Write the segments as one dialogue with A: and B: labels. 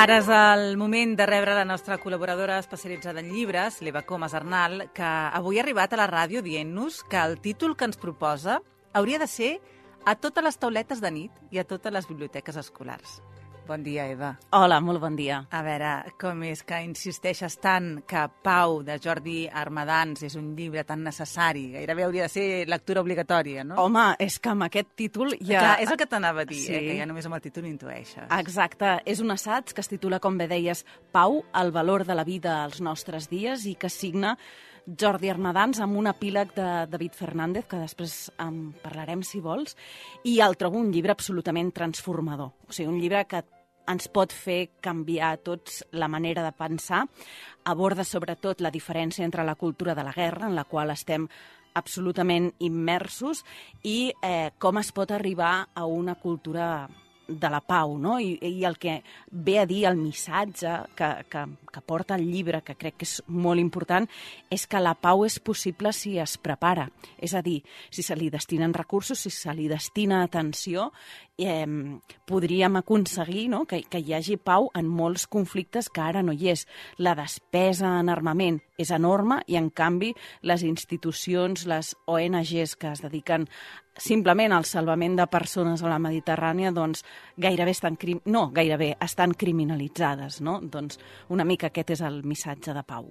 A: Ara és el moment de rebre la nostra col·laboradora especialitzada en llibres, l'Eva Comas Arnal, que avui ha arribat a la ràdio dient-nos que el títol que ens proposa hauria de ser A totes les tauletes de nit i a totes les biblioteques escolars. Bon dia, Eva.
B: Hola, molt bon dia.
A: A veure, com és que insisteixes tant que Pau, de Jordi Armadans, és un llibre tan necessari? Gairebé hauria de ser lectura obligatòria, no?
B: Home, és que amb aquest títol ja...
A: Clar, és el que t'anava a dir,
B: sí.
A: que ja només amb el títol intueixes.
B: Exacte, és un assaig que es titula, com bé deies, Pau, el valor de la vida als nostres dies, i que signa Jordi Armadans amb un epíleg de David Fernández, que després en parlarem si vols, i el trobo un llibre absolutament transformador. O sigui, un llibre que ens pot fer canviar tots la manera de pensar, aborda sobretot la diferència entre la cultura de la guerra, en la qual estem absolutament immersos, i com es pot arribar a una cultura de la pau, no? I el que ve a dir el missatge que porta el llibre, que crec que és molt important, és que la pau és possible si es prepara. És a dir, si se li destinen recursos, si se li destina atenció, podríem aconseguir, no?, que hi hagi pau en molts conflictes que ara no hi és. La despesa en armament és enorme i, en canvi, les institucions, les ONGs que es dediquen simplement al salvament de persones a la Mediterrània, doncs gairebé estan criminalitzades, no? Doncs una mica aquest és el missatge de Pau.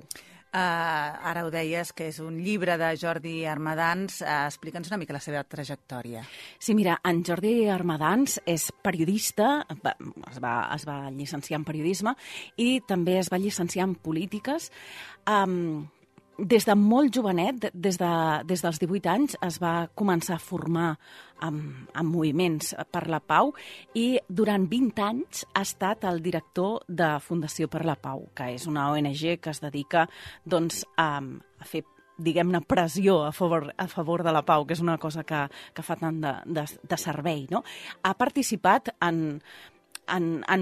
A: Ara ho deies, que és un llibre de Jordi Armadans. Explica'ns una mica la seva trajectòria.
B: Sí, mira, en Jordi Armadans és periodista, es va llicenciar en periodisme i també es va llicenciar en polítiques. Des de molt jovenet, des dels 18 anys, es va començar a formar en moviments per la pau i durant 20 anys ha estat el director de Fundació per la Pau, que és una ONG que es dedica, doncs, a fer, diguem-ne, pressió a favor de la pau, que és una cosa que fa tant de servei, no? Ha participat en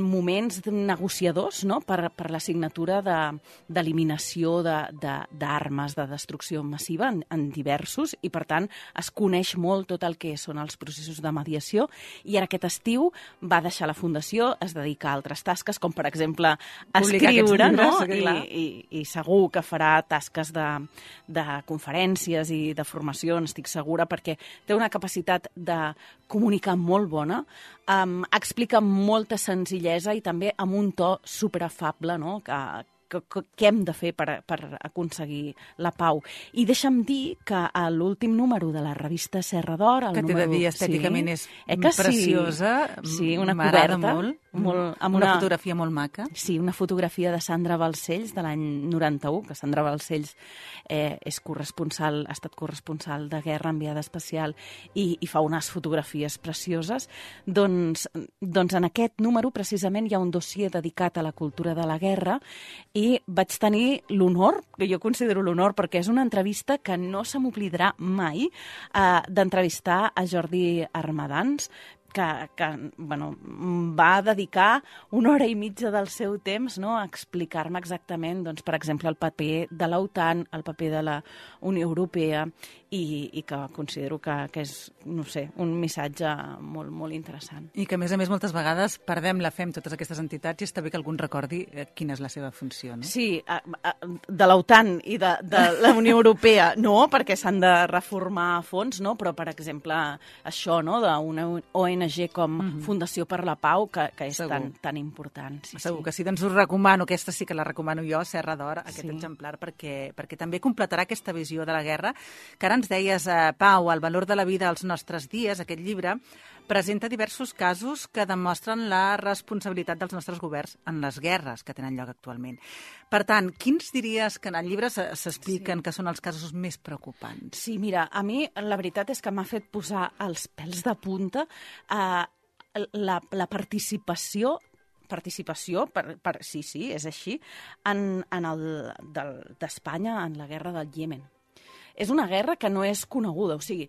B: moments negociadors, no?, per la signatura d'eliminació d'armes de destrucció massiva en diversos, i per tant es coneix molt tot el que són els processos de mediació, i ara aquest estiu va deixar la Fundació, es dedica a altres tasques, com per exemple escriure, no?, i segur que farà tasques de conferències i de formació, estic segura, perquè té una capacitat de comunicar molt bona, explica amb molta senzillesa i també amb un to superafable, no?, què hem de fer per aconseguir la pau. I deixa'm dir que a l'últim número de la revista Serra d'Or...
A: Que t'he de dir, estèticament és preciosa, m'agrada molt, amb una fotografia molt maca.
B: Sí, una fotografia de Sandra Balcells de l'any 91, que Sandra Balcells és corresponsal, ha estat corresponsal de guerra, enviada especial, i fa unes fotografies precioses. Doncs en aquest número, precisament, hi ha un dossier dedicat a la cultura de la guerra, i vaig tenir l'honor, que jo considero l'honor, perquè és una entrevista que no se m'oblidarà mai, d'entrevistar a Jordi Armadans, que va dedicar 1 hora i mitja del seu temps, no?, a explicar-me exactament, doncs, per exemple, el paper de l'OTAN, el paper de la Unió Europea, i que considero que és, no sé, un missatge molt, molt interessant.
A: I que, a més, moltes vegades perdem la fe en totes aquestes entitats i està bé que algú recordi quina és la seva funció, no?
B: Sí, de l'OTAN i de la Unió Europea no, perquè s'han de reformar a fons, no? Però, per exemple, això, no?, d'una ONG com Fundació per la Pau, que és tan important. Sí,
A: segur que sí, doncs us recomano, aquesta sí que la recomano jo, Serra d'Or, aquest exemplar, perquè també completarà aquesta visió de la guerra, que ara ens deies, Pau, el valor de la vida als nostres dies. Aquest llibre presenta diversos casos que demostren la responsabilitat dels nostres governs en les guerres que tenen lloc actualment. Per tant, quins diries que en el llibre s'expliquen que són els casos més preocupants?
B: Sí, mira, a mi la veritat és que m'ha fet posar els pèls de punta la participació, sí, és així, d'Espanya en la guerra del Iemen. és una guerra que no és coneguda. O sigui,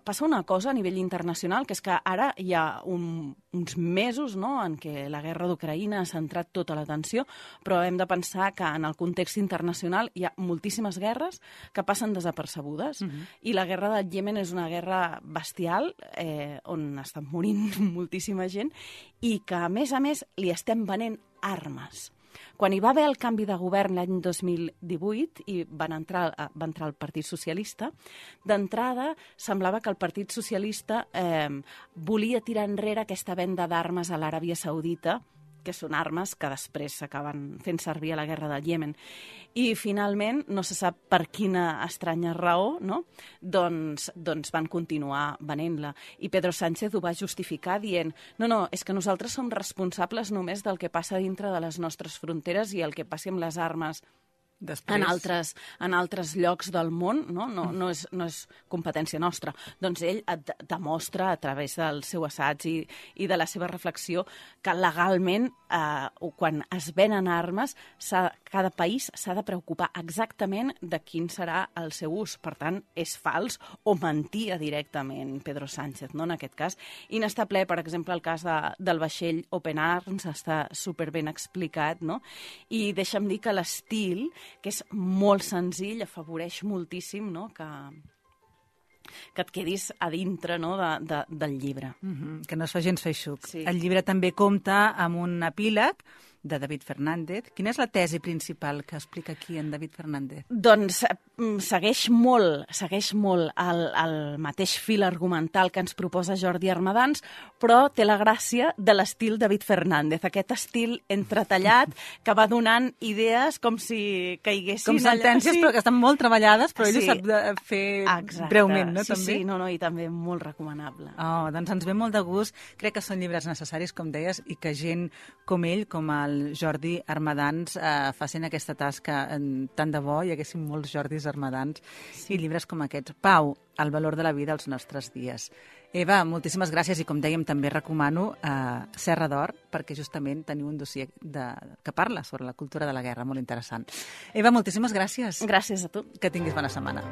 B: passa una cosa a nivell internacional, que és que ara hi ha uns mesos, no?, en què la guerra d'Ucraïna ha centrat tota l'atenció, però hem de pensar que en el context internacional hi ha moltíssimes guerres que passen desapercebudes. I la guerra del Iemen és una guerra bestial, on està morint moltíssima gent, i que, a més, li estem venent armes. Quan hi va haver el canvi de govern l'any 2018 i va entrar el Partit Socialista, d'entrada semblava que el Partit Socialista volia tirar enrere aquesta venda d'armes a l'Aràbia Saudita, que són armes que després s'acaben fent servir a la guerra del Iemen. I finalment, no se sap per quina estranya raó, no?, doncs van continuar venent-la. I Pedro Sánchez ho va justificar dient no, és que nosaltres som responsables només del que passa dintre de les nostres fronteres i el que passi amb les armes en altres llocs del món, no és competència nostra. Doncs ell demostra a través del seu assaig i de la seva reflexió que legalment, quan es venen armes, cada país s'ha de preocupar exactament de quin serà el seu ús. Per tant, és fals o mentia directament Pedro Sánchez, no?, en aquest cas. I n'està ple, per exemple, el cas del vaixell Open Arms, està superben explicat, no? I deixa'm dir que l'estil, que és molt senzill, afavoreix moltíssim, no?, que et quedis a dintre, no?, del llibre.
A: Que no es fa gens feixuc.
B: Sí.
A: El llibre també compta amb un epíleg de David Fernández. Quina és la tesi principal que explica aquí en David Fernández?
B: Doncs segueix molt el mateix fil argumental que ens proposa Jordi Armadans, però té la gràcia de l'estil David Fernández, aquest estil entretallat que va donant idees com si caiguessin...
A: Com sentències, però que estan molt treballades, però ell ho sap fer breument, no?
B: Sí,
A: també?
B: Sí, i també molt recomanable.
A: Oh, doncs ens ve molt de gust. Crec que són llibres necessaris, com deies, i que gent com ell, com el Jordi Armadans, facin aquesta tasca tant de bo, hi haguessin molts Jordis Armadans i llibres com aquests. Pau, el valor de la vida als nostres dies. Eva, moltíssimes gràcies i com dèiem també recomano Serra d'Or perquè justament teniu un dossier que parla sobre la cultura de la guerra, molt interessant. Eva, moltíssimes gràcies.
B: Gràcies a tu.
A: Que tinguis bona setmana.